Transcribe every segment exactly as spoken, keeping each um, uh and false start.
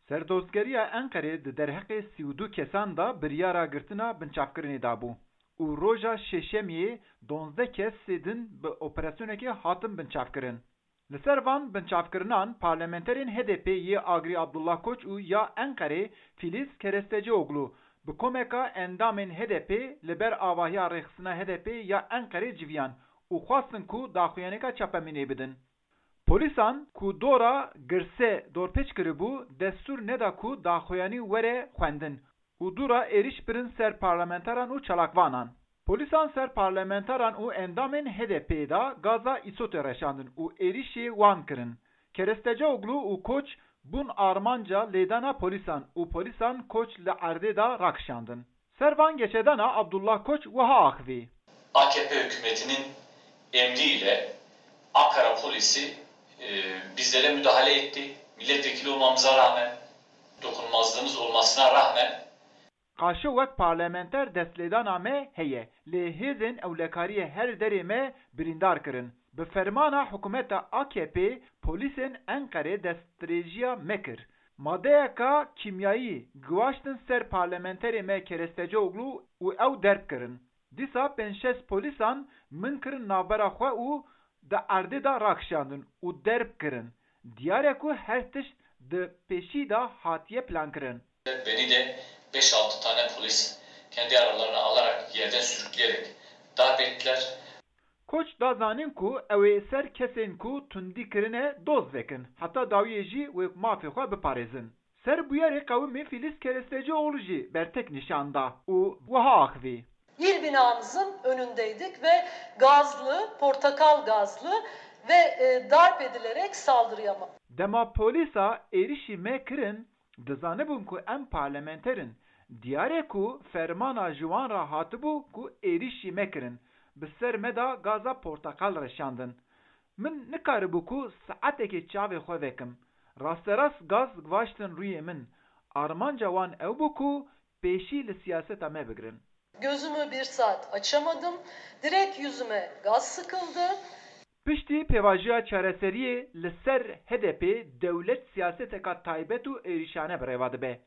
Serdozgeriya Enqerê di derheqê sî û du kesan de biryara girtina binçavkirinê dabû û roja Şêşemiyê duwazdeh kesê din bi operasyonekê hatin binçavkirin. Li ser van binçavkirinan parlamenterên H D P yê agirî Abdullah Koç û ya Enqerê Filiz Kerestecioglu bi komeka endamên H D P li ber avahiya rêxistina H D P ya Enqerê civiyan û xwestin ku daxuyaniyeka çapemînê bidin. Polîsan ku dora girse dorpêç kiribû, destûr neda ku daxuyanî were xwendin û dûra êrîş birin ser parlamenteran û çalakvanan. Polîsan ser parlamenteran û endamên H D P'ê de gaza îsotê reşandin û êrîşê wan kirin. Kerestecioglu û Koç bûn armanca lêdana polîsan û polîsan Koç li erdê de rakişandin. Ser van geçedana Abdullah Koç wiha axivî. A K P hükümetinin emriyle Ankara polisi e, bizlere müdahale etti. Milletvekili olmamıza rağmen, dokunulmazlığımız olmasına rağmen Qaşo wek parlamenter destlêdana me heye, lê hêzên ewlekariyê her derê me birîndar kirin. Bi fermana hikûmeta A K P polîsên Enqerê destdirêjiya me kir. Madeyeka kîmyayî giwaştin ser parlamenterê me Kerestecioglu û ew derb kirin. Dîsa pênc şeş polîsan min kirin navbera xwe û di erdê de rakişandin û derb kirin. Diyar e ku her tişt di pêşî de hatiye plankirin. Beni de beş altı tane polis kendi aralarına alarak yerden sürükleyerek darp ettiler. Koç da zanîn ku ew ê ser kesên ku tundî kirine doz vekin, heta dawiyê jî wê mafê xwe biparêzin. Ser bûyerê qewimî Filiz Kerestecioglu jî bertek nîşan da û wiha axivî. İl binamızın önündeydik ve gazlı, portakal gazlı ve e, darp edilerek saldırıya ma- Dema polîsa êrişî me kirin, dizanibûn ku em parlamenter in. Diyar e ku fermana ji wan re hatibû ku êrişî me kirin. Bi ser me de gaza porteqal reşandin. Min nikaribû ku saetekê çavê xwe vekim. Rasterast gaz givaştin rûyê min. Armanca wan ew bû ku pêşî li siyaseta me bigirin. Gözümü bir saat açamadım. Direkt yüzüme gaz sıkıldı. Piştî pêvajoya çareseriyê li ser H D P dewlet siyaseteka taybet û êrîşane bi rêva dibe.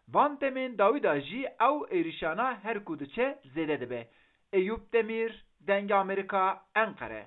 Van demên dawî de jî ew êrîşana her ku diçe zêde dibe. Eyûp Demîr, Dengê Amerîka, Enqere.